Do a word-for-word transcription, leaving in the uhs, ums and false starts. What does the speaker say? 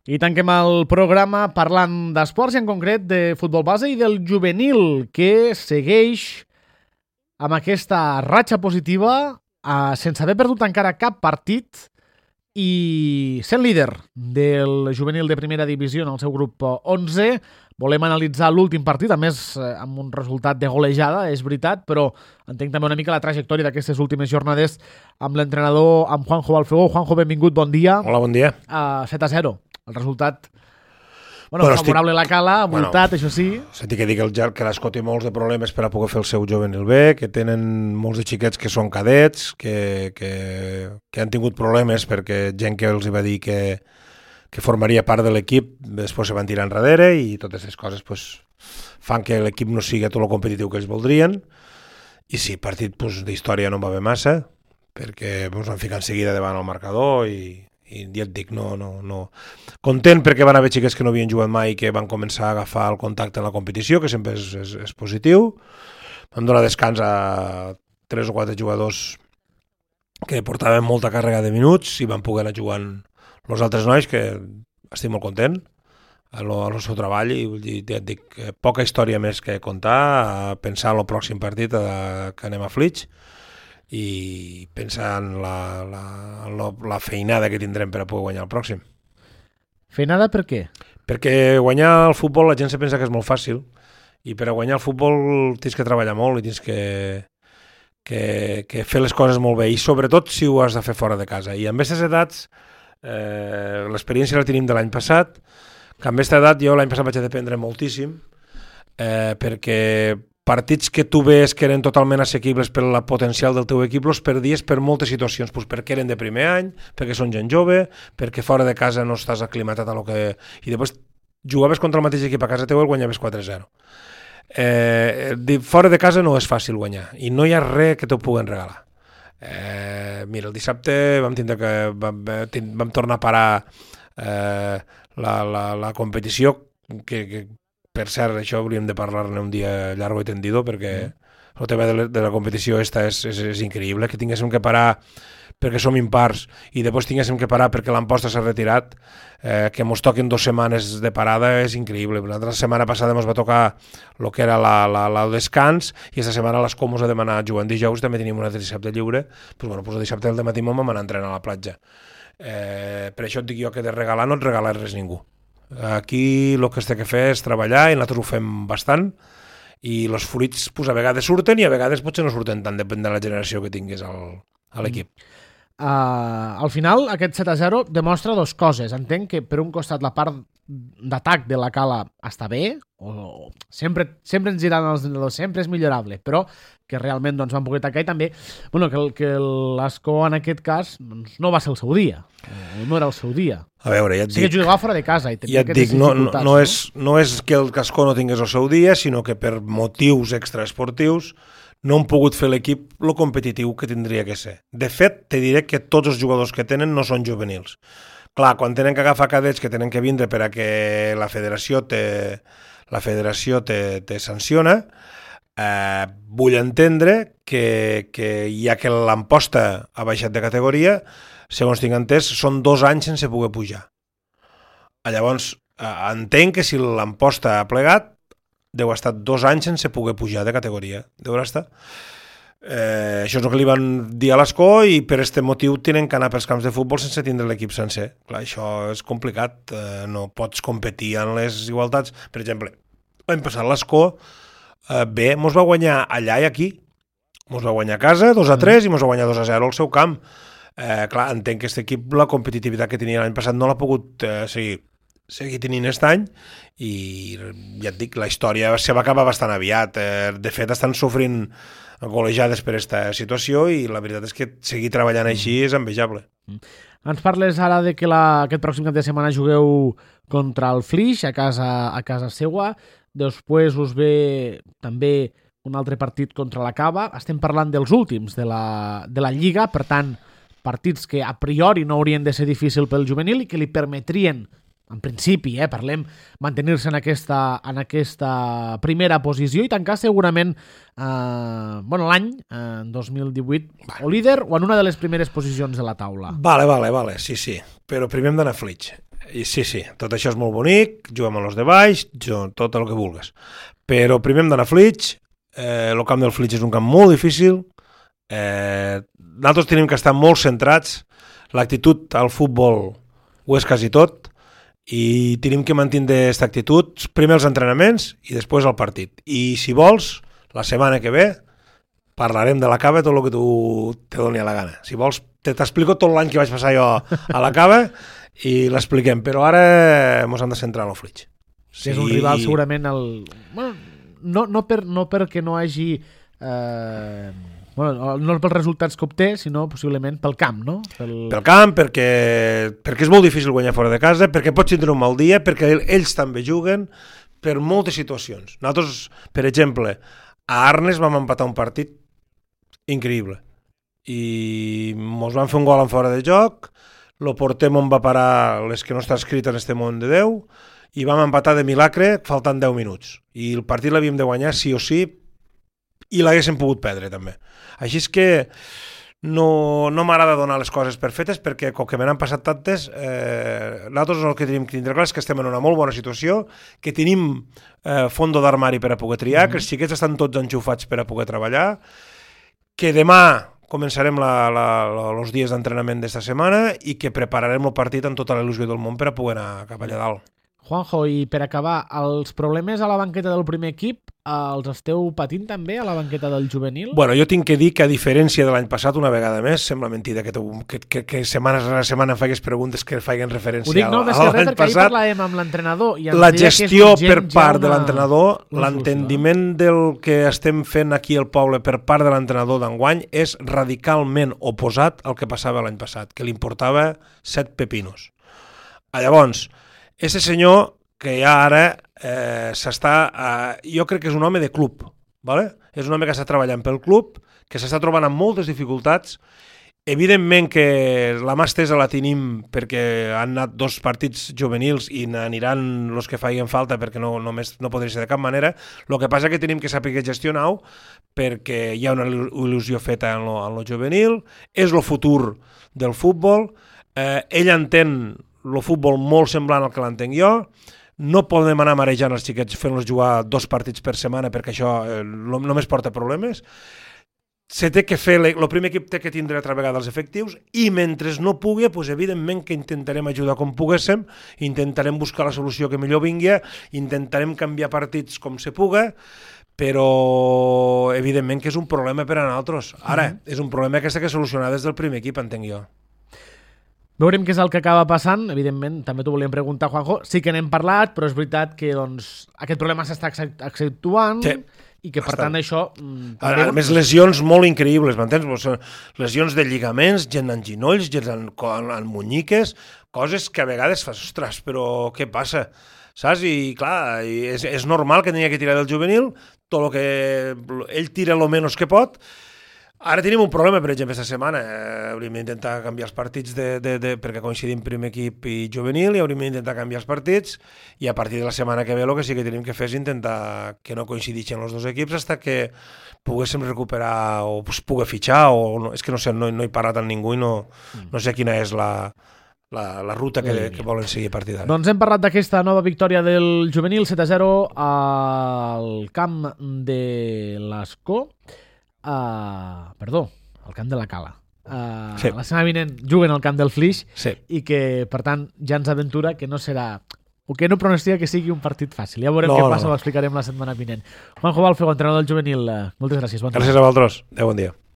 I tanquem el programa parlant d'esports i en concret de futbol base i del juvenil, que segueix amb aquesta ratxa positiva eh, sense haver perdut encara cap partit i sent líder del juvenil de primera divisió en el seu grup onze. Volem analitzar l'últim partit, a més eh, amb un resultat de golejada, és veritat, però entenc també una mica la trajectòria d'aquestes últimes jornades amb l'entrenador, amb Juanjo Balfegó. Juanjo, benvingut, bon dia. Hola, bon dia. Uh, set a zero. El resultat bueno, bueno, favorable estic... a la Cala, voltat, bueno, això sí. S'ha que dir que, el, que l'Escó té molts de problemes per a poder fer el seu juvenil bé, que tenen molts de xiquets que són cadets, que, que, que han tingut problemes perquè gent que els va dir que, que formaria part de l'equip després se van tirar enrere i totes aquestes coses pues, fan que l'equip no sigui tot el competitiu que ells voldrien. I sí, partit pues, d'història no va haver massa, perquè ens van ficar en seguida davant el marcador i i ja et dic, no, no, no. Content perquè van haver xiques que no havien jugat mai i que van començar a agafar el contacte en la competició, que sempre és, és, és positiu. Vam donar descans a tres o quatre jugadors que portaven molta càrrega de minuts i van poder anar jugant els altres nois, que estic molt content en el seu treball i ja et dic, poca història més que contar, a pensar en el pròxim partit a, que anem a Flix i pensar en la, la, la, la feinada que tindrem per a poder guanyar el pròxim. Feinada per què? Perquè guanyar el futbol la gent se pensa que és molt fàcil i per a guanyar el futbol tens que treballar molt i tens que, que, que fer les coses molt bé i sobretot si ho has de fer fora de casa. I amb aquestes edats, eh, l'experiència la tenim de l'any passat, que amb aquesta edat jo l'any passat vaig aprendre moltíssim eh, perquè partits que tu veus que eren totalment assequibles per la potencial del teu equip els perdies per moltes situacions, pues perquè eren de primer any, perquè són gent jove, perquè fora de casa no estàs aclimatat a lo que... I després jugaves contra el mateix equip a casa teu i el guanyaves quatre a zero. Eh, fora de casa no és fàcil guanyar i no hi ha res que t'ho puguen regalar. Eh, mira, el dissabte vam tindre que... Vam, vam tornar a parar eh, la, la, la competició que... que per cert, això hauríem de parlar-ne un dia llargo i tendido perquè mm. el tema de la, de la competició esta és, és, és increïble, que tinguéssim que parar perquè som impars i després tinguéssim que parar perquè l'Amposta s'ha retirat, eh, que ens toquen dues setmanes de parada és increïble. La setmana passada ens va tocar el que era la, la, la, el descans i aquesta setmana l'Escó ens ha demanat jugar en dijous, també tenim un altre dissabte lliure, pues, bueno, pues el dissabte del matí vam anar a entrenar a la platja. Eh, per això et dic jo que de regalar no et regala res ningú. Aquí el que es té que fer és treballar i nosaltres ho fem bastant i els fruits pues, a vegades surten i a vegades potser no surten tant, depèn de la generació que tinguis al, a l'equip. Uh, al final aquest set a zero demostra dues coses. Entenc que per un costat la part d'atac de la Cala està bé, o, o sempre, sempre ens diran els entrenadors, sempre és millorable, però que realment doncs, van poder atacar i també bueno, que, que l'Escó en aquest cas doncs, no va ser el seu dia, no era el seu dia. A veure, ja et sí dic... que jugava fora de casa i ja et dic, no, no, no, és, no és que el Escó no tingués el seu dia, sinó que per motius extraesportius no han pogut fer l'equip lo competitiu que tindria que ser. De fet, te diré que tots els jugadors que tenen no són juvenils. Clar, quan tenen que agafar cadets que tenen que vindre per a que la federació te, la federació te, te sanciona, eh, vull entendre que, que ja que l'Amposta ha baixat de categoria, segons tinc entès, són dos anys sense poder pujar. Llavors, eh, entenc que si l'Amposta ha plegat, deu estar dos anys sense poder pujar de categoria. Deu estar. Eh, això és el que li van dir a l'Escó i per aquest motiu tenen que anar pels camps de futbol sense tindre l'equip sencer. Clar, això és complicat, eh, no pots competir en les igualtats. Per exemple, l'any passat l'Escó eh, bé, mos va guanyar allà i aquí. Mos va guanyar a casa dos a tres i mos va guanyar dos a zero al seu camp. Eh, clar, entenc que aquest equip, la competitivitat que tenia l'any passat no l'ha pogut eh, seguir seguir tenint aquest any i ja et dic, la història se va acabar bastant aviat. Eh, de fet, estan sofrint golejades per aquesta situació i la veritat és que seguir treballant així és envejable. Mm. Ens parles ara de que la, aquest pròxim cap de setmana jugueu contra el Flix a casa, a casa seua, després us ve també un altre partit contra la Cava. Estem parlant dels últims de la, de la Lliga, per tant, partits que a priori no haurien de ser difícil pel juvenil i que li permetrien en principi, eh, parlem, mantenir-se en aquesta, en aquesta primera posició i tancar segurament eh, bueno, l'any, eh, dos mil divuit, vale. O líder o en una de les primeres posicions de la taula. Vale, vale, vale, sí, sí. Però primer hem d'anar a Flix. I sí, sí, tot això és molt bonic, juguem amb els de baix, tot el que vulguis. Però primer hem d'anar a Flix, eh, el camp del Flix és un camp molt difícil, eh, nosaltres tenim que estar molt centrats, l'actitud al futbol ho és quasi tot, i tenim que mantenir aquesta actitud, primer els entrenaments i després el partit. I si vols, la setmana que ve, parlarem de la cava tot el que tu te doni a la gana. Si vols, t'explico tot l'any que vaig passar jo a la cava i l'expliquem, però ara ens hem de centrar en el Flix. Sí, és un rival segurament el... Bueno, no, no, per, no perquè no hagi... Eh... Bueno, no pels resultats que obté, sinó possiblement pel camp, no? Pel, pel camp, perquè, perquè és molt difícil guanyar fora de casa, perquè pots tindre un mal dia, perquè ells també juguen, per moltes situacions. Nosaltres, per exemple, a Arnes vam empatar un partit increïble i ens van fer un gol en fora de joc, lo portem on va parar les que no està escrit en este món de Déu, i vam empatar de milagre faltant deu minuts. I el partit l'havíem de guanyar sí o sí, i l'haguéssim pogut perdre també. Així és que no, no m'agrada donar les coses per fetes, perquè com que me n'han passat tantes, eh, nosaltres el que tenim que tindre clar és que estem en una molt bona situació, que tenim eh, fondo d'armari per a poder triar, mm-hmm. que els xiquets estan tots enxufats per a poder treballar, que demà començarem la, la, la, els dies d'entrenament d'esta setmana i que prepararem el partit amb tota la il·lusió del món per a poder anar cap allà dalt. Juanjo, i per acabar, els problemes a la banqueta del primer equip els esteu patint també a la banqueta del juvenil? Bueno, jo tinc que dir que a diferència de l'any passat, una vegada més, sembla mentida que, que, que, que setmana a setmana em faigues preguntes que faiguen referència Ho dic, no, a, a l'any passat. Ahir parlàvem amb l'entrenador i ens la deia gestió que és per part una... de l'entrenador, l'entendiment no? del que estem fent aquí al poble per part de l'entrenador d'enguany és radicalment oposat al que passava l'any passat, que li importava set pepinos. Llavors, aquest senyor que ja ara eh, s'està... Eh, jo crec que és un home de club, ¿vale? És un home que està treballant pel club, que s'està trobant amb moltes dificultats. Evidentment que la mà estesa la tenim perquè han anat dos partits juvenils i aniran els que faiguen falta perquè no, només, no podria ser de cap manera. El que passa és que tenim que saber gestionar-ho perquè hi ha una il·lusió feta en lo, en lo juvenil, és el futur del futbol, eh, ell entén el futbol molt semblant al que l'entenc jo. No podem anar marejant els xiquets fent-los jugar dos partits per setmana perquè això eh, només porta problemes. Se té que fer, el primer equip té que tindre altra vegada els efectius i mentre no pugui, doncs evidentment que intentarem ajudar com poguéssim, intentarem buscar la solució que millor vingui, intentarem canviar partits com se puga, però evidentment que és un problema per a nosaltres. Ara, mm-hmm. és un problema que s'ha de solucionar des del primer equip, entenc jo. Veurem què és el que acaba passant. Evidentment, també t'ho volíem preguntar, Juanjo. Sí que n'hem parlat, però és veritat que doncs, aquest problema s'està accentuant sí, i que, per bastant. tant, això... També... A més, lesions molt increïbles, m'entens? Lesions de lligaments, gent en ginolls, gent en, en, en munyiques, coses que a vegades fas, ostres, però què passa? Saps? I, clar, és, és normal que tenia que tirar del juvenil, tot el que... Ell tira el menys que pot. Ara tenim un problema, per exemple, aquesta setmana. Eh, hauríem d'intentar canviar els partits de, de, de, perquè coincidim primer equip i juvenil i hauríem d'intentar canviar els partits i a partir de la setmana que ve el que sí que tenim que fer és intentar que no coincideixin els dos equips fins que poguéssim recuperar o pues, pugui fitxar o no, és que no sé, no, no he parlat amb ningú i no, no sé quina és la, la, la ruta que, que volen seguir a partir d'ara. Doncs hem parlat d'aquesta nova victòria del juvenil set a zero al camp de l'Escó. Uh, perdó, al camp de la Cala. Uh, sí. La setmana vinent juguen al camp del Flix sí. i que, per tant, ja ens aventura que no serà, o que no pronostica que sigui un partit fàcil. Ja veurem no, què passa, no. Ho explicarem la setmana vinent. Juanjo Balfego, entrenador del juvenil, uh, moltes gràcies. Bon gràcies a vosaltres. Adéu, bon dia.